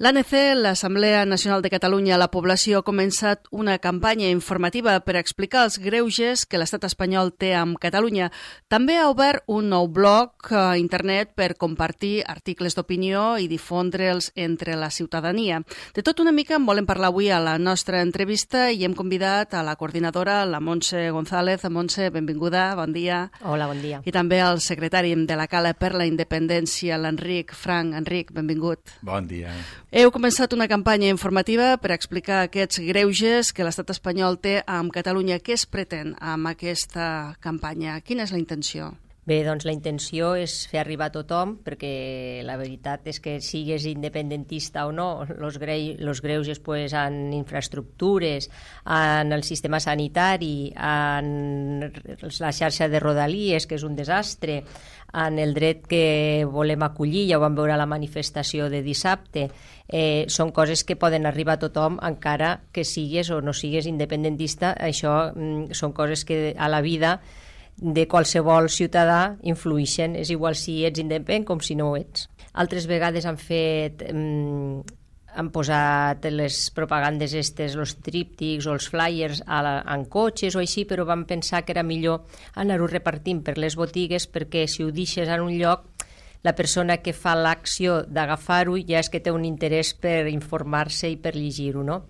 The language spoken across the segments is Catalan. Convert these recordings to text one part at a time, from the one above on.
L'ANC, l'Assemblea Nacional de Catalunya, la població, ha començat una campanya informativa per explicar els greuges que l'estat espanyol té amb Catalunya. També ha obert un nou blog a internet per compartir articles d'opinió i difondre'ls entre la ciutadania. De tot una mica en volem parlar avui a la nostra entrevista i hem convidat a la coordinadora, la Montse González. Montse, benvinguda, bon dia. Hola, bon dia. I també al secretari de la Cala per la Independència, l'Enric Frank. Enric, benvingut. Bon dia. Heu començat una campanya informativa per explicar aquests greuges que l'estat espanyol té amb Catalunya. Què es pretén amb aquesta campanya? Quina és la intenció? Bé, doncs la intenció és fer arribar a tothom, perquè la veritat és que sigues independentista o no, los greuges pues, en infraestructures, en el sistema sanitari, en la xarxa de rodalies, que és un desastre, en el dret que volem acollir, ja ho vam veure a la manifestació de dissabte, són coses que poden arribar a tothom encara que sigues o no sigues independentista. Això són coses que a la vida de qualsevol ciutadà influïxen, és igual si ets independent com si no ho ets. Altres vegades han posat les propagandes estes, els tríptics o els flyers en cotxes o així, però vam pensar que era millor anar-ho repartint per les botigues, perquè si ho deixes en un lloc, la persona que fa l'acció d'agafar-ho ja és que té un interès per informar-se i per llegir-ho, no?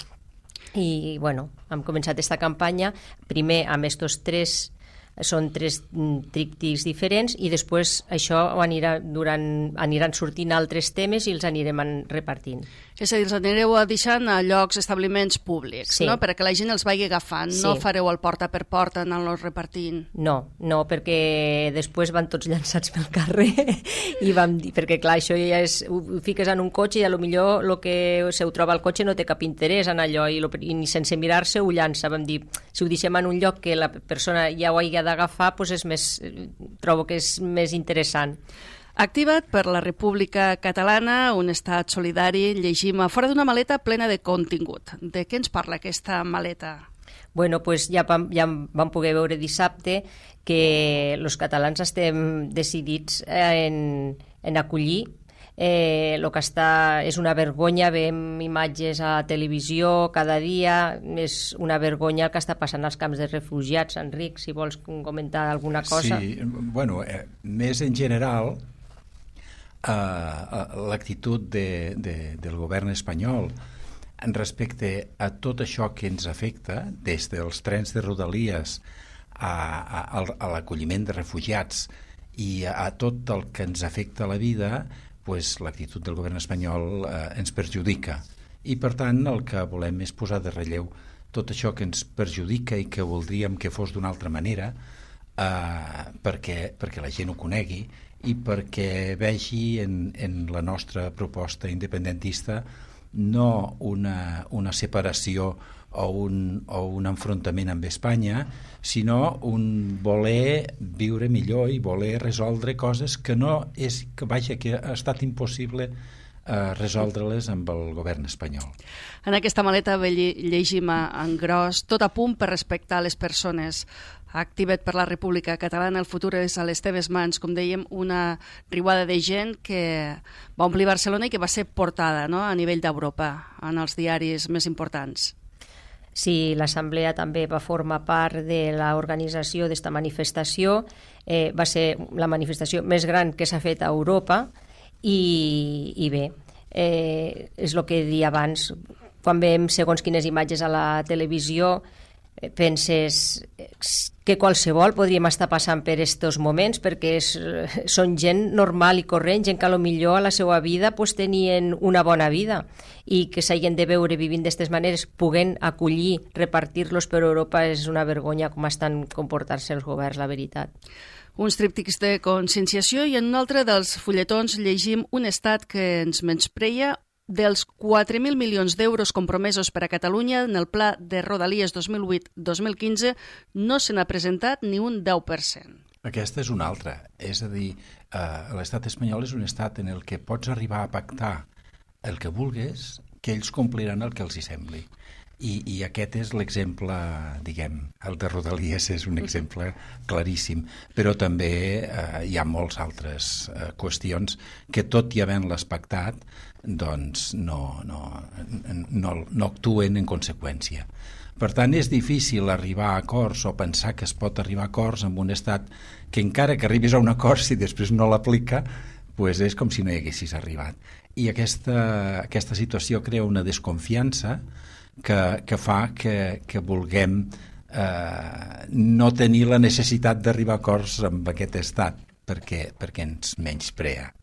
I, bueno, hem començat aquesta campanya, primer amb estos són tres tríptics diferents i després això aniran sortint altres temes i els anirem repartint. És a dir, els anireu deixant a llocs, establiments públics, sí, no? Perquè la gent els vagi agafant, sí. No fareu el porta per porta anant-los repartint. No, perquè després van tots llançats pel carrer i vam dir, perquè clar, això ja és, ho fiques en un cotxe i millor el que se ho troba al cotxe no té cap interès en allò i ni sense mirar-se ho llança. Vam dir, si ho deixem en un lloc que la persona ja ho hagi d'agafar, doncs trobo que és més interessant. Activat per la República Catalana, un estat solidari, llegim a fora d'una maleta plena de contingut. De què ens parla aquesta maleta? Bueno, pues ja vam poder veure dissabte que els catalans estem decidits en acollir. El que és una vergonya, veiem imatges a la televisió cada dia, és una vergonya el que està passant als camps de refugiats. Enric, si vols comentar alguna cosa. Sí, bueno, més en general, l'actitud del govern espanyol respecte a tot això que ens afecta, des dels trens de rodalies a l'acolliment de refugiats i a tot el que ens afecta a la vida, pues, l'actitud del govern espanyol ens perjudica. I, per tant, el que volem és posar de relleu tot això que ens perjudica i que voldríem que fos d'una altra manera, perquè la gent ho conegui i perquè vegi en la nostra proposta independentista no una separació o un enfrontament amb Espanya, sinó un voler viure millor i voler resoldre coses que que ha estat impossible resoldre-les amb el govern espanyol. En aquesta maleta llegim en gros: tot a punt per respectar les persones. Activat per la República Catalana, el futur és a les teves mans. Com dèiem, una riuada de gent que va omplir Barcelona i que va ser portada, no?, a nivell d'Europa, en els diaris més importants. Sí, l'Assemblea també va formar part de l'organització d'esta manifestació. Va ser la manifestació més gran que s'ha fet a Europa i bé, és el que deia abans, quan veiem segons quines imatges a la televisió penses que qualsevol podríem estar passant per aquests moments, perquè són gent normal i corrent, gent que potser a la seva vida tenien una bona vida i que s'hagin de veure vivint d'aquestes maneres, puguent acollir, repartir-los per Europa, és una vergonya com estan comportant-se els governs, la veritat. Uns tríptics de conscienciació i en un altre dels fulletons llegim un estat que ens menyspreia. Dels 4.000 milions d'euros compromesos per a Catalunya en el pla de Rodalies 2008-2015 no se n'ha presentat ni un 10%. Aquesta és una altra. És a dir, l'estat espanyol és un estat en el que pots arribar a pactar el que vulguis, que ells compliran el que els hi sembli. I aquest és l'exemple, diguem, el de Rodalies és un exemple claríssim, però també hi ha molts altres qüestions que, tot i havent-les pactat, doncs no actuen en conseqüència. Per tant, és difícil arribar a acords o pensar que es pot arribar a acords amb un estat que, encara que arribis a un acord, si després no l'aplica, doncs és com si no hi haguessis arribat. I aquesta situació crea una desconfiança que fa que vulguem no tenir la necessitat d'arribar a acords amb aquest estat, perquè ens menysprea.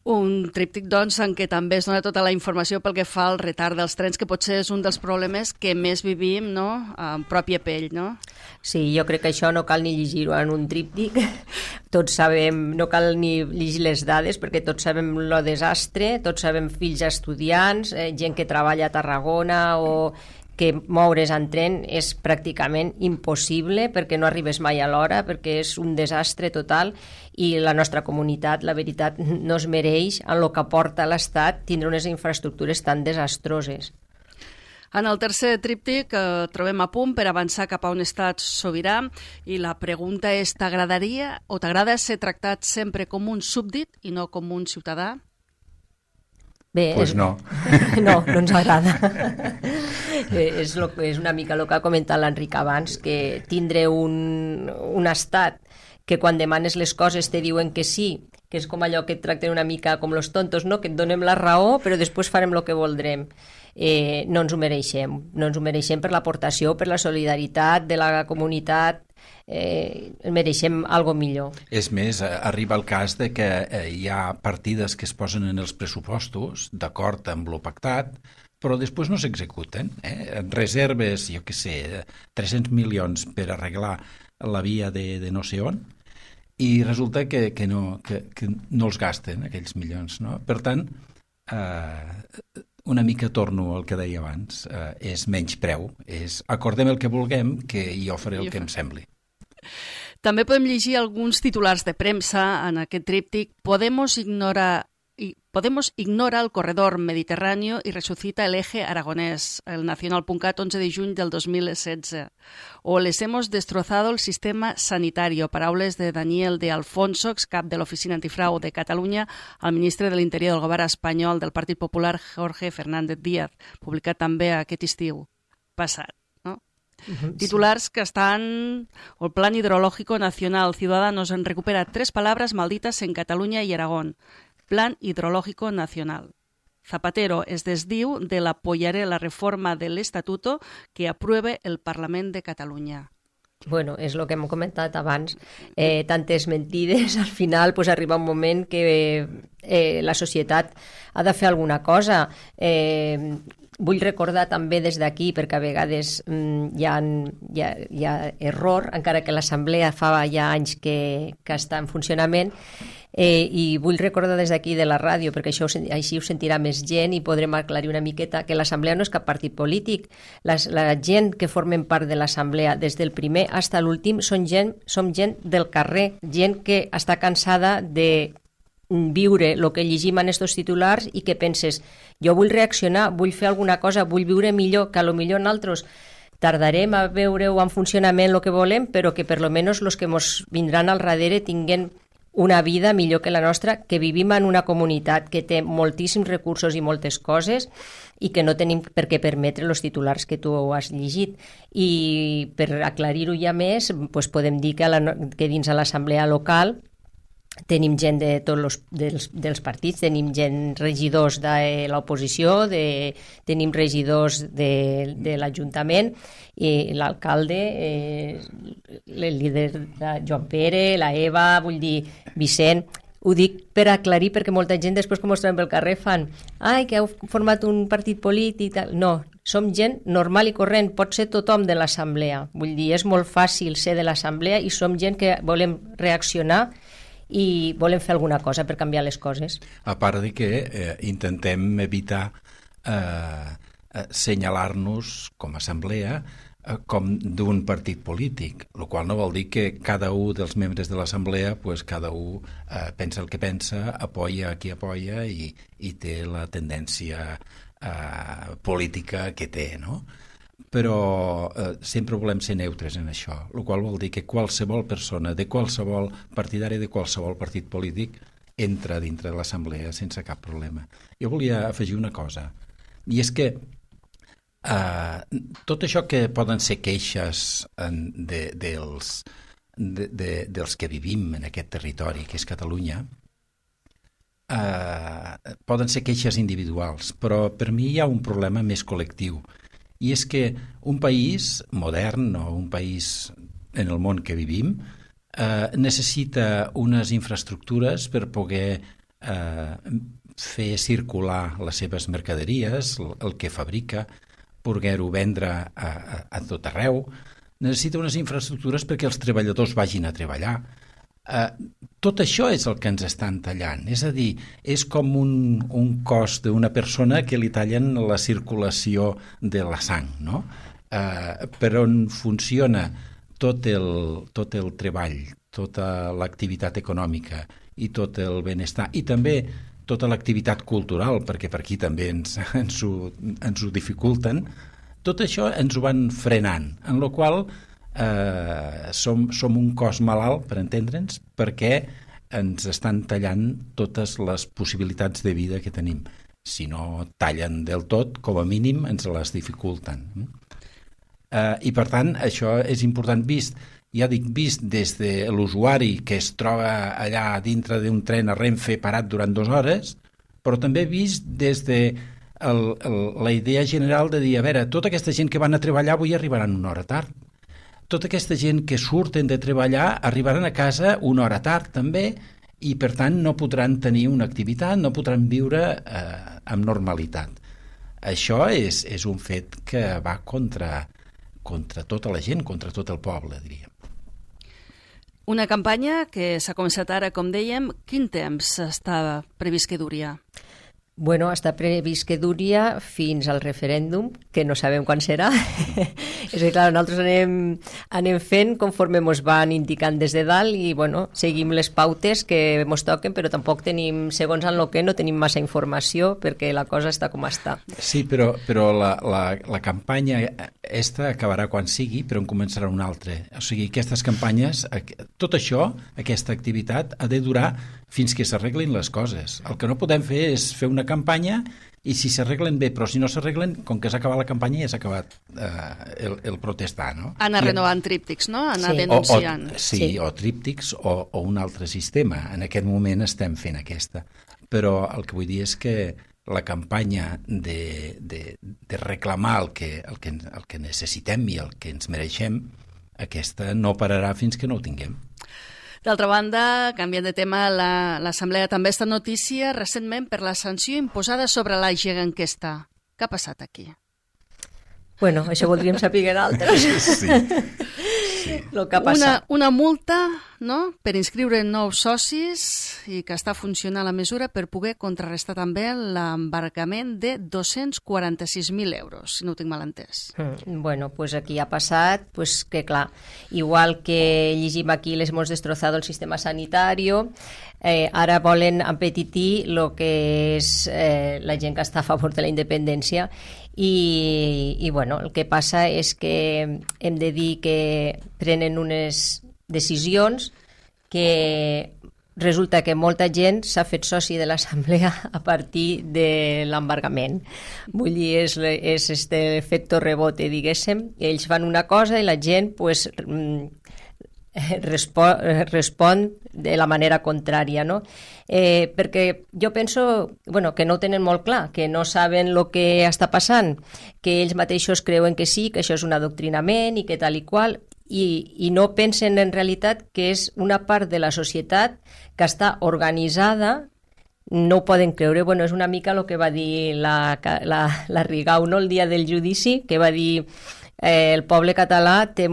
Un tríptic, doncs, en què també es dona tota la informació pel que fa al retard dels trens, que potser és un dels problemes que més vivim, no?, en pròpia pell, no? Sí, jo crec que això no cal ni llegir-ho en un tríptic. Tots sabem, no cal ni llegir les dades, perquè tots sabem lo desastre, tots sabem fills estudiants, gent que treballa a Tarragona o que moure's en tren és pràcticament impossible perquè no arribes mai a l'hora, perquè és un desastre total, i la nostra comunitat, la veritat, no es mereix en el que aporta l'Estat tindre unes infraestructures tan desastroses. En el tercer tríptic trobem a punt per avançar cap a un estat sobirà, i la pregunta és: t'agradaria o t'agrada ser tractat sempre com un súbdit i no com un ciutadà? Bé, pues no. No ens agrada. És una mica el que ha comentat l'Enric abans, que tindre un estat que quan demanes les coses te diuen que sí, que és com allò que et tracten una mica com los tontos, no? Que et donem la raó però després farem el que voldrem. No ens ho mereixem per l'aportació, per la solidaritat de la comunitat. Mereixem algo millor. És més, arriba el cas de que hi ha partides que es posen en els pressupostos d'acord amb lo pactat, però després no s'executen. Reserves, jo què sé, 300 milions per arreglar la via de no sé on, i resulta que no els gasten aquells milions, no? Per tant, una mica torno al que deia abans, és menyspreu, és acordem el que vulguem, que jo faré el que em sembli. També podem llegir alguns titulars de premsa en aquest tríptic. Podemos ignora el corredor mediterráneo y resucita el eje aragonés, el Nacional.cat, 11 de juny del 2016. O les hemos destrozado el sistema sanitario, paraules de Daniel de Alfonso, excap de l'Oficina Antifrau de Catalunya, al ministre de l'Interior del govern espanyol del Partit Popular, Jorge Fernández Díaz, publicat també aquest estiu passat. Titulars que están... O el Plan Hidrológico Nacional. Ciudadanos recupera 3 palabras malditas en Cataluña y Aragón. Plan Hidrológico Nacional. Zapatero es desdiu de l'apoyaré la reforma del Estatuto que apruebe el Parlament de Catalunya. Bueno, és el que hem comentat abans. Tantes mentides, al final pues, arriba un moment que la societat ha de fer alguna cosa. Vull recordar també des d'aquí, perquè a vegades hi ha error, encara que l'Assemblea fa ja anys que està en funcionament, i vull recordar des d'aquí de la ràdio, perquè així ho sentirà més gent i podrem aclarir una miqueta, que l'Assemblea no és cap partit polític. La gent que formen part de l'Assemblea, des del primer fins a l'últim, som gent del carrer, gent que està cansada de viure el que llegim en estos titulars i que penses, jo vull reaccionar, vull fer alguna cosa, vull viure millor, que a lo millor nosaltres tardarem a veure-ho en funcionament el que volem, però que per lo menos els que ens vindran al darrere tinguen una vida millor que la nostra, que vivim en una comunitat que té moltíssims recursos i moltes coses i que no tenim per què permetre els titulars que tu has llegit. I per aclarir-ho ja més, doncs podem dir que dins de l'assemblea local tenim gent de tots dels partits, tenim gent, regidors de l'oposició, tenim regidors de l'Ajuntament, i l'alcalde, el líder Joan Pere, la Eva, vull dir, Vicent. Ho dic per aclarir, perquè molta gent després que ens trobem pel carrer fan ai, que heu format un partit polític. No, som gent normal i corrent, pot ser tothom de l'assemblea. Vull dir, és molt fàcil ser de l'assemblea i som gent que volem reaccionar i volem fer alguna cosa per canviar les coses. A part de que intentem evitar senyalar-nos com a assemblea com d'un partit polític, el qual no vol dir que cada un dels membres de l'assemblea, pues, cada un pensa el que pensa, apoya qui apoya i té la tendència política que té, no? Però sempre volem ser neutres en això, el qual vol dir que qualsevol persona de qualsevol partidari de qualsevol partit polític entra dintre de l'assemblea sense cap problema. Jo volia afegir una cosa, i és que tot això que poden ser queixes dels que vivim en aquest territori, que és Catalunya, poden ser queixes individuals, però per mi hi ha un problema més col·lectiu, i és que un país modern o un país en el món que vivim necessita unes infraestructures per poder fer circular les seves mercaderies, el que fabrica, poder-ho vendre a tot arreu. Necessita unes infraestructures perquè els treballadors vagin a treballar. Tot això és el que ens estan tallant, és a dir, és com un cos d'una persona que li tallen la circulació de la sang, no? Per on funciona tot el treball, tota l'activitat econòmica i tot el benestar, i també tota l'activitat cultural, perquè per aquí també ens ho dificulten, tot això ens ho van frenant, en la qual som un cos malalt, per entendre'ns, perquè ens estan tallant totes les possibilitats de vida que tenim. Si no tallen del tot, com a mínim ens les dificulten. I per tant, això és important vist des de l'usuari que es troba allà dintre d'un tren a Renfe parat durant 2 hores, però també vist des de la idea general de dir, a veure, tota aquesta gent que van a treballar avui arribaran 1 hora tard. Tota aquesta gent que surten de treballar arribaran a casa 1 hora tard també, i per tant no podran tenir una activitat, no podran viure amb normalitat. Això és un fet que va contra tota la gent, contra tot el poble, diríem. Una campanya que s'ha començat ara, com dèiem. Quin temps està previst que duria? Bueno, està previst que duria fins al referèndum, que no sabem quan serà. És que, clar, nosaltres anem fent conforme ens van indicant des de dalt i, bueno, seguim les pautes que ens toquen, però tampoc tenim, segons en el que no tenim massa informació perquè la cosa està com està. Sí, però la campanya esta acabarà quan sigui, però en començarà una altra. O sigui, aquestes campanyes, tot això, aquesta activitat, ha de durar fins que s'arreglin les coses. El que no podem fer és fer una campanya i si s'arreglen bé, però si no s'arreglen, com que s'ha acabat la campanya ja s'ha acabat el protestar, no? Anar renovant tríptics, no? Anar denunciant. Sí, o tríptics o un altre sistema. En aquest moment estem fent aquesta. Però el que vull dir és que la campanya de reclamar el que necessitem i el que ens mereixem, aquesta no pararà fins que no ho tinguem. D'altra banda, canviant de tema, l'Assemblea també està notícia recentment per la sanció imposada sobre la Geganquesta. Què ha passat aquí? Bueno, això voldríem saber altres. Sí. Lo que ha passat. Una multa, no?, per inscriure nous socis i que està funcionant la mesura per poder contrarrestar també l'embargament de 246.000 euros, si no ho tinc mal entès. Bueno, pues aquí ha passat pues que, clar, igual que llegim aquí les hemos destrozado el sistema sanitario, ara volen empetitir el que és la gent que està a favor de la independència i bueno, el que passa és que hem de dir que prenen unes decisions que resulta que molta gent s'ha fet soci de l'assemblea a partir de l'embargament. Vull dir, és este efecte rebote, diguéssim. Ells fan una cosa i la gent pues, respon de la manera contrària, no? Perquè jo penso que no ho tenen molt clar, que no saben el que està passant, que ells mateixos creuen que sí, que això és un adoctrinament i que tal i qual, i no pensen en realitat que és una part de la societat que està organitzada. No ho poden creure. Bueno, és una mica el que va dir la Rigau, no?, el dia del judici, que va dir el poble català té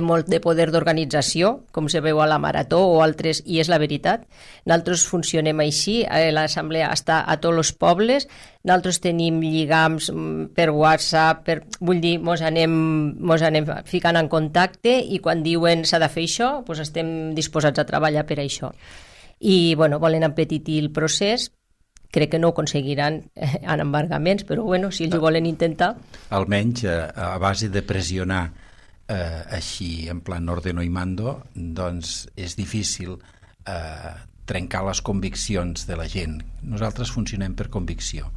molt de poder d'organització, com se veu a la Marató o altres, i és la veritat. Nosaltres funcionem així, l'assemblea està a tots els pobles, nosaltres tenim lligams per WhatsApp, vull dir, mos anem ficant en contacte i quan diuen s'ha de fer això, doncs estem disposats a treballar per això. I, bueno, volen empetitir el procés Crec que no ho aconseguiran en embargaments, però bueno, si ells ho volen intentar... Almenys a base de pressionar així en plan ordeno y mando, doncs és difícil trencar les conviccions de la gent. Nosaltres funcionem per convicció,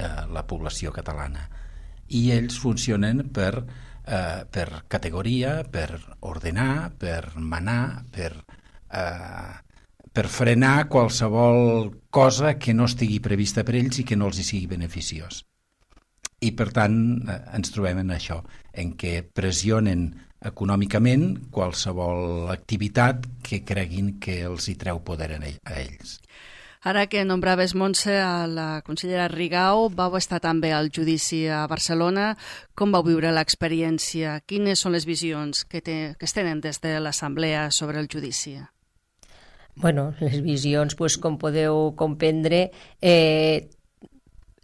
la població catalana, i ells funcionen per categoria, per ordenar, per manar, per frenar qualsevol cosa que no estigui prevista per ells i que no els hi sigui beneficiós. I per tant ens trobem en això, en què pressionen econòmicament qualsevol activitat que creguin que els hi treu poder a ells. Ara que nombraves, Montse, a la consellera Rigau, vau estar també al judici a Barcelona. Com vau viure l'experiència? Quines són les visions que es tenen des de l'Assemblea sobre el judici? Bueno, les visions, doncs, com podeu comprendre,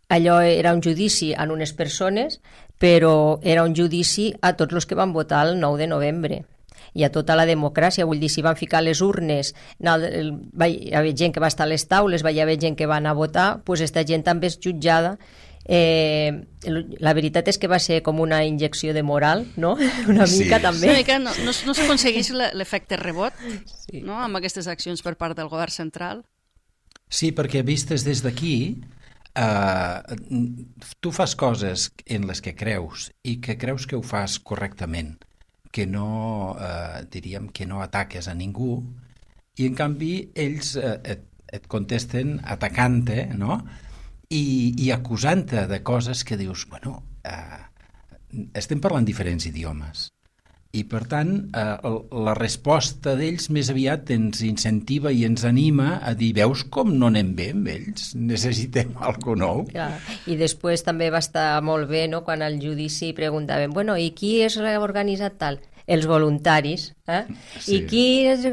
allò era un judici a unes persones, però era un judici a tots els que van votar el 9 de novembre i a tota la democràcia. Vull dir, si van ficar les urnes, hi havia gent que va estar a les taules, hi havia gent que va anar a votar, doncs aquesta gent també és jutjada. La veritat és que va ser com una injecció de moral, no? Una mica, també. Una mica, no s'aconsegueix l'efecte rebot, sí, no? Amb aquestes accions per part del govern central? Sí, perquè vistes des d'aquí, tu fas coses en les que creus i que creus que ho fas correctament, que no, diríem, que no ataques a ningú, i en canvi ells et contesten atacant-te, no? I acusant-te de coses que dius, bueno, estem parlant diferents idiomes, i per tant la resposta d'ells més aviat ens incentiva i ens anima a dir, veus com no anem bé amb ells, necessitem alguna nou. Clar. I després també va estar molt bé, no?, quan al judici preguntaven, bueno, i qui és organitzat tal? Els voluntaris, Sí. I qui és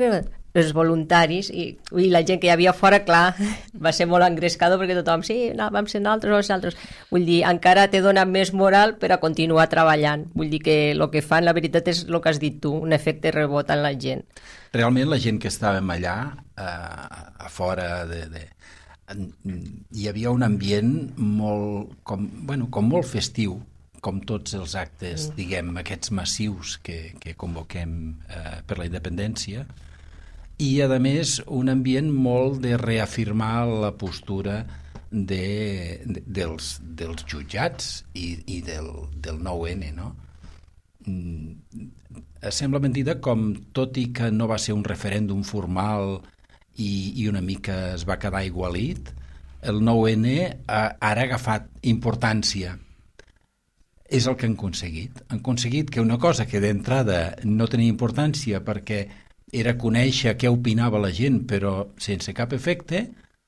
els voluntaris, i la gent que hi havia fora, clar, va ser molt engrescador perquè tothom, sí, no, vam ser nosaltres. Vull dir, encara te dona més moral per a continuar treballant. Vull dir que el que fan, la veritat, és el que has dit tu, un efecte rebot en la gent. Realment la gent que estàvem allà, a fora hi havia un ambient molt, com molt festiu, com tots els actes, diguem, aquests massius que convoquem per la independència, i, a més, un ambient molt de reafirmar la postura dels jutjats i del 9N, no? Sembla mentida com, tot i que no va ser un referèndum formal i una mica es va quedar igualit, el 9N ara ha agafat importància. És el que han aconseguit. Han aconseguit que una cosa que d'entrada no tenia importància perquè era conèixer què opinava la gent, però sense cap efecte,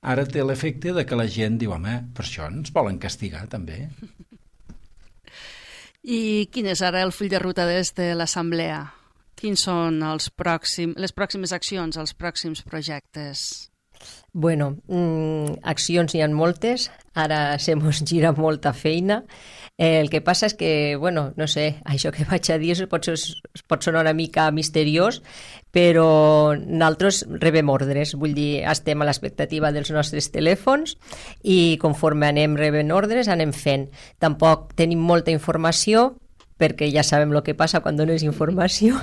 ara té l'efecte de que la gent diu, home, per això ens volen castigar, també. I quin és ara el full de ruta des de l'Assemblea? Quins són les pròximes accions, els pròxims projectes? Bueno, accions n'hi ha moltes, ara se mos gira molta feina. El que passa és que, bueno, no sé, això que vaig a dir pot sonar una mica misteriós, però nosaltres rebem ordres, vull dir, estem a l'expectativa dels nostres telèfons i conforme anem rebent ordres anem fent. Tampoc tenim molta informació, perquè ja sabem el que passa quan dones informació,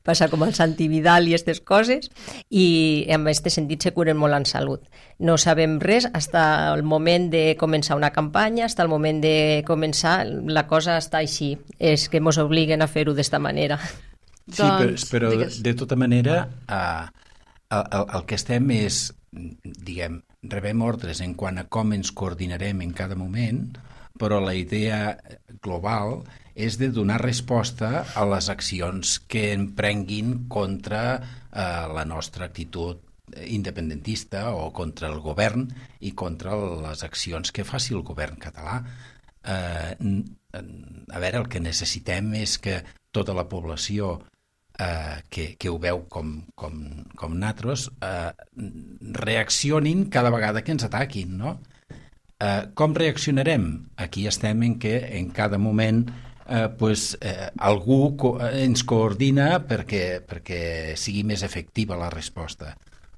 passa com el Santi Vidal i aquestes coses, i en aquest sentit se curen molt en salut. No sabem res fins al moment de començar una campanya, fins al moment de començar, la cosa està així, és que ens obliguen a fer-ho d'esta manera. Sí, però de tota manera el que estem és, diguem, rebem ordres en quant a com ens coordinarem en cada moment, però la idea global és de donar resposta a les accions que emprenguin contra la nostra actitud independentista o contra el govern i contra les accions que faci el govern català. A veure, el que necessitem és que tota la població que ho veu com nosaltres reaccionin cada vegada que ens ataquin, no? Com reaccionarem? Aquí estem en què en cada moment algú ens coordina perquè sigui més efectiva la resposta,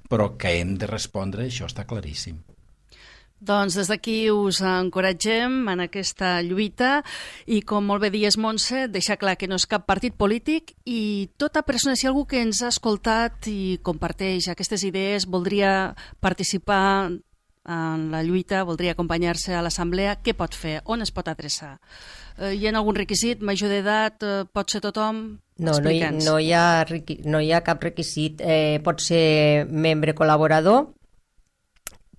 però que hem de respondre, això està claríssim. Doncs des d'aquí us encoratgem en aquesta lluita i, com molt bé dies, Montse, deixar clar que no és cap partit polític i tota persona, si algú que ens ha escoltat i comparteix aquestes idees, voldria participar en la lluita, voldria acompanyar-se a l'assemblea, què pot fer? On es pot adreçar? Hi ha algun requisit? Major d'edat? Pot ser tothom? No hi ha cap requisit. Pot ser membre col·laborador,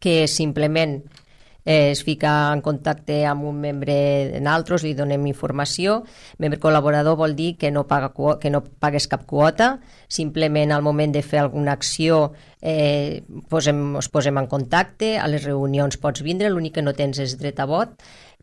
que simplement es fica en contacte amb un membre d'altres, li donem informació. Membre col·laborador vol dir que no pagues cap quota, simplement al moment de fer alguna acció us posem en contacte, a les reunions pots vindre, l'únic que no tens és dret a vot,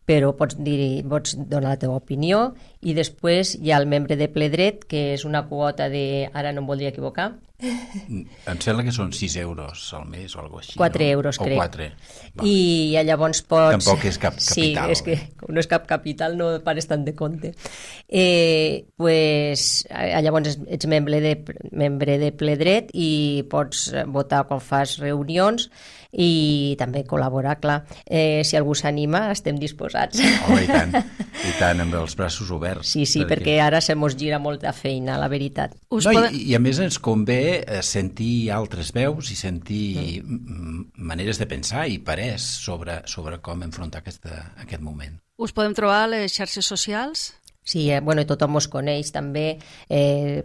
però pots donar la teva opinió, i després hi ha el membre de ple dret, que és una quota de, ara no em voldria equivocar, em sembla que són 6 euros al mes o alguna cosa així. 4 euros, o crec. 4. I llavors pots... Tampoc és cap capital. Sí, és que no és cap capital, no pares tant de compte. Llavors ets membre de ple dret i pots votar quan fas reunions i també col·laborar, clar. Si algú s'anima, estem disposats. Home, i tant, amb els braços oberts. Sí, perquè ara se mos gira molta feina, la veritat. I a més ens convé sentir altres veus i sentir maneres de pensar i parers sobre com enfrontar aquest moment. Us podem trobar a les xarxes socials? Sí, tothom us coneix també,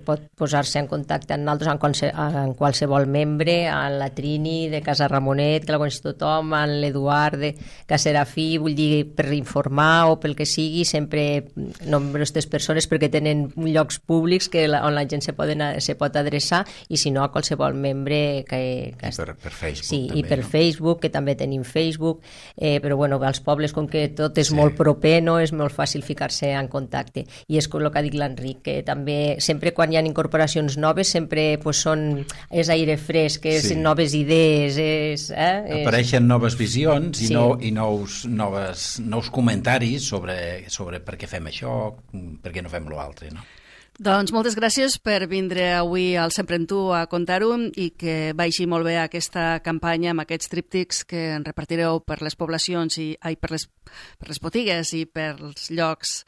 pot posar-se en contacte amb nosaltres, en qualsevol membre, amb la Trini de Casa Ramonet, que la coneix tothom, amb l'Eduard de Caserafí, vull dir, per informar o pel que sigui, sempre nombres aquestes persones perquè tenen llocs públics on la gent se pot adreçar, i si no a qualsevol membre que per Facebook sí, també, i per no? Facebook, que també tenim Facebook, però als pobles, com que tot és molt proper, no és molt fàcil ficar-se en contacte. I és com el que ha dit l'Enric, que també sempre quan hi ha incorporacions noves sempre és aire fresc, és noves idees, apareixen noves visions i nous comentaris sobre per què fem això, per què no fem l'altre, no? Doncs moltes gràcies per vindre avui al Sempre en Tu a contar-ho i que vagi molt bé aquesta campanya amb aquests tríptics que en repartireu per les poblacions per les botigues i per els llocs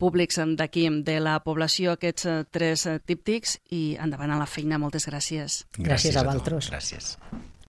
públics d'aquí de la població, aquests 3 tríptics, i endavant a la feina. Moltes gràcies. Gràcies a vosaltres. Gràcies.